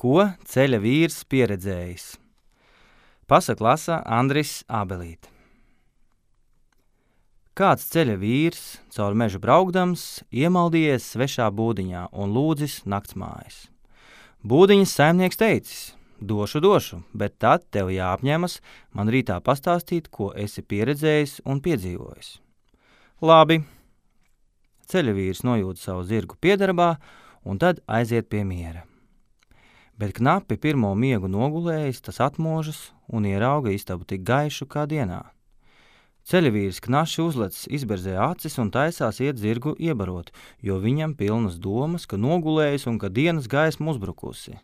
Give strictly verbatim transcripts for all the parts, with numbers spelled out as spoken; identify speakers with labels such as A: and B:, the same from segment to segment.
A: Ko ceļa vīrs pieredzējis? Pasaku lasa Andris Ābelīte. Kāds ceļa vīrs, caur mežu braukdams, iemaldījies svešā būdiņā un lūdzis naktsmājas. Būdiņas saimnieks teicis: došu, došu, bet tad tev jāapņemas man rītā pastāstīt, ko esi pieredzējis un piedzīvojis. Labi. Ceļa vīrs nojūt savu zirgu piedarbā un tad aiziet pie miera. Bet knapi pirmo miegu nogulējis, tas atmožas un ierauga istabu tik gaišu kā dienā. Ceļavīrs knaši uzlecis izberzē acis un taisās iet zirgu iebarot, jo viņam pilnas domas, ka nogulējis un ka dienas gaisma uzbrukusi.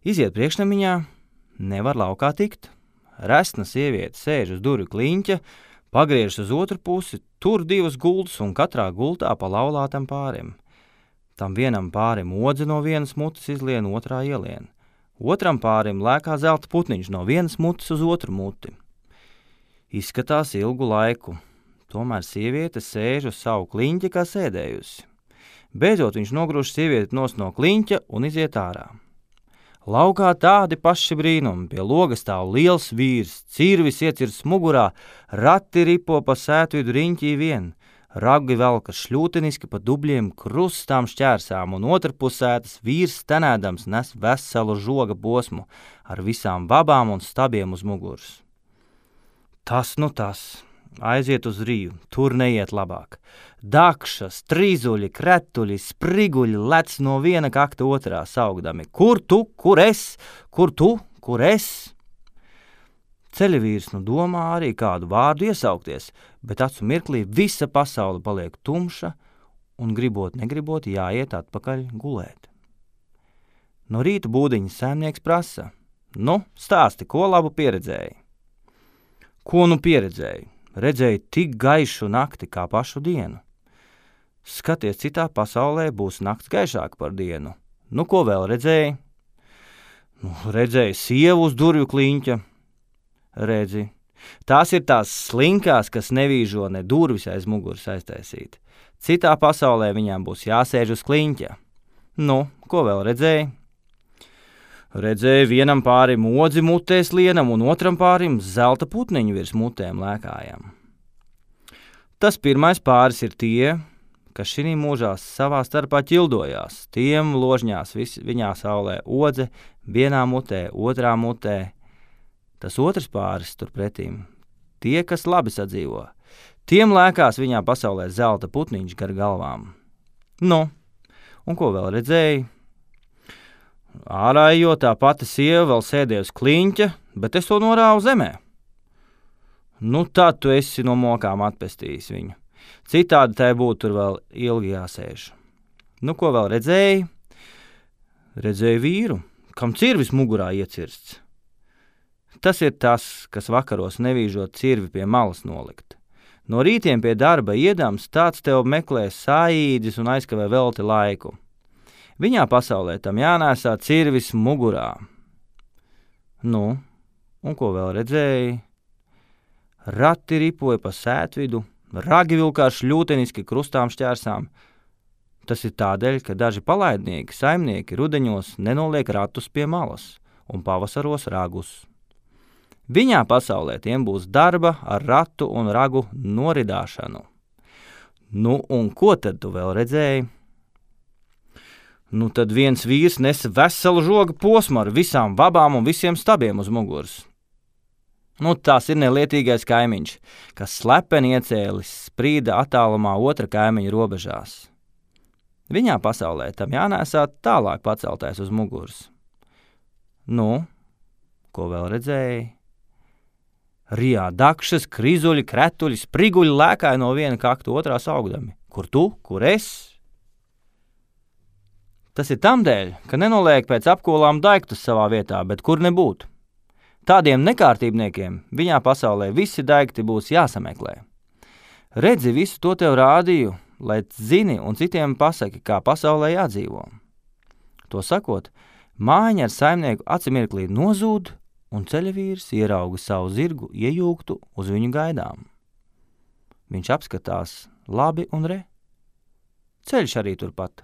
A: Iziet priekšnamiņā, nevar laukā tikt. Resna sieviete sēž uz durvju kliņķa, pagriežas uz otru pusi, tur divas gultas un katrā gultā pa laulātam pārim. Tam vienam pārim odze no vienas mutes izlien, otrā ielien. Otram pārim lēkā zelta putniņš no vienas mutes uz otru muti. Izskatās ilgu laiku, tomēr sieviete sēž uz savu kliņķi kā sēdējusi. Beidzot viņš nogrūž sievieti nos no kliņķa un iziet ārā. Laukā tādi paši brīnumi, pie loga stāv liels vīrs, cirvis iecirsts mugurā, rati ripo pa sētvidu riņķī vien. Ragi velkas šļūteniski pa dubļiem krustām šķērsām, un otrpusētas vīrs stenēdams nes veselu žoga posmu ar visām vabām un stabiem uz muguras. Tas nu tas, aiziet uz Rīju, tur neiet labāk. Dakšas, trīzuļi, kretuļi, spriguļi lec no viena kakta otrā saugdami. Kur tu, kur es, kur tu, kur es? Ceļavīrs nu domā arī kādu vārdu iesaukties, bet acu mirklī visa pasaule paliek tumša un gribot negribot jāiet atpakaļ gulēt. No rīta būdiņa saimnieks prasa: nu, stāsti, ko labu pieredzēji? Ko nu pieredzēji? Redzēju tik gaišu nakti kā pašu dienu. Skaties, citā pasaulē būs nakts gaišāka par dienu. Nu, ko vēl redzēji? Nu, redzēju sievu uz durvju kliņķa. Redzi, tās ir tās slinkās, kas nevīžo ne durvis aiz muguras aiztaisīt. Citā pasaulē viņām būs jāsēž uz kliņķa. Nu, ko vēl redzēji? Redzēju vienam pārim odzi mutēs lienam un otram pārim zelta putniņu virs mutēm lēkājam. Tas pirmais pāris ir tie, kas šinī mūžā savā starpā ķildojās. Tiem ložņās vis, viņā saulē odze, vienā mutē, otrā mutē. Tas otrs pāris turpretīm, tie, kas labi sadzīvo, tiem lēkās viņā pasaulē zelta putniņš gar galvām. Nu, un ko vēl redzēji? Ārā ejot, tā pati sieva vēl sēdēja uz kliņķa, bet es to norāvu zemē. Nu, tad tu esi no mokām atpestījis viņu. Citādi tai būtu tur vēl ilgi jāsēž. Nu, ko vēl redzēji? Redzēju vīru, kam cirvis mugurā iecirsts. Tas ir tas, kas vakaros nevīžot cirvi pie malas nolikt. No rītiem pie darba iedams, tāds tev meklē saīdis un aizkavē velti laiku. Viņā pasaulē tam jānēsā cirvis mugurā. Nu, un ko vēl redzēji? Rati ripoja pa sētvidu, ragi vilkās šļūteniski krustām šķērsām. Tas ir tādēļ, ka daži palaidnieki, saimnieki rudeņos nenoliek ratus pie malas un pavasaros ragus. Viņā pasaulē tiem būs darba ar ratu un ragu noridāšanu. Nu, un ko tad tu vēl redzēji? Nu, tad viens vīrs nesa veselu žoga posmu ar visām vabām un visiem stabiem uz muguras. Nu, tās ir nelietīgais kaimiņš, kas slepeni iecēlis sprīda attālumā otra kaimiņa robežās. Viņā pasaulē tam jānēsā tālāk paceltais uz muguras. Nu, ko vēl redzēji? Rijā dakšas, krizuļi, kretuļi, spriguļi lēkāja no viena kakta otrā saugdami. Kur tu, kur es? Tas ir tamdēļ, ka nenoliek pēc apkolām daiktus savā vietā, bet kur nebūtu. Tādiem nekārtībniekiem viņā pasaulē visi daikti būs jāsameklē. Redzi, visu to tev rādīju, lai zini un citiem pasaki, kā pasaulē jādzīvo. To sakot, mājiņa ar saimnieku acimirklī nozūd, un ceļavīrs ierauga savu zirgu iejūgtu uz viņu gaidām. Viņš apskatās labi un re. Ceļš arī turpat.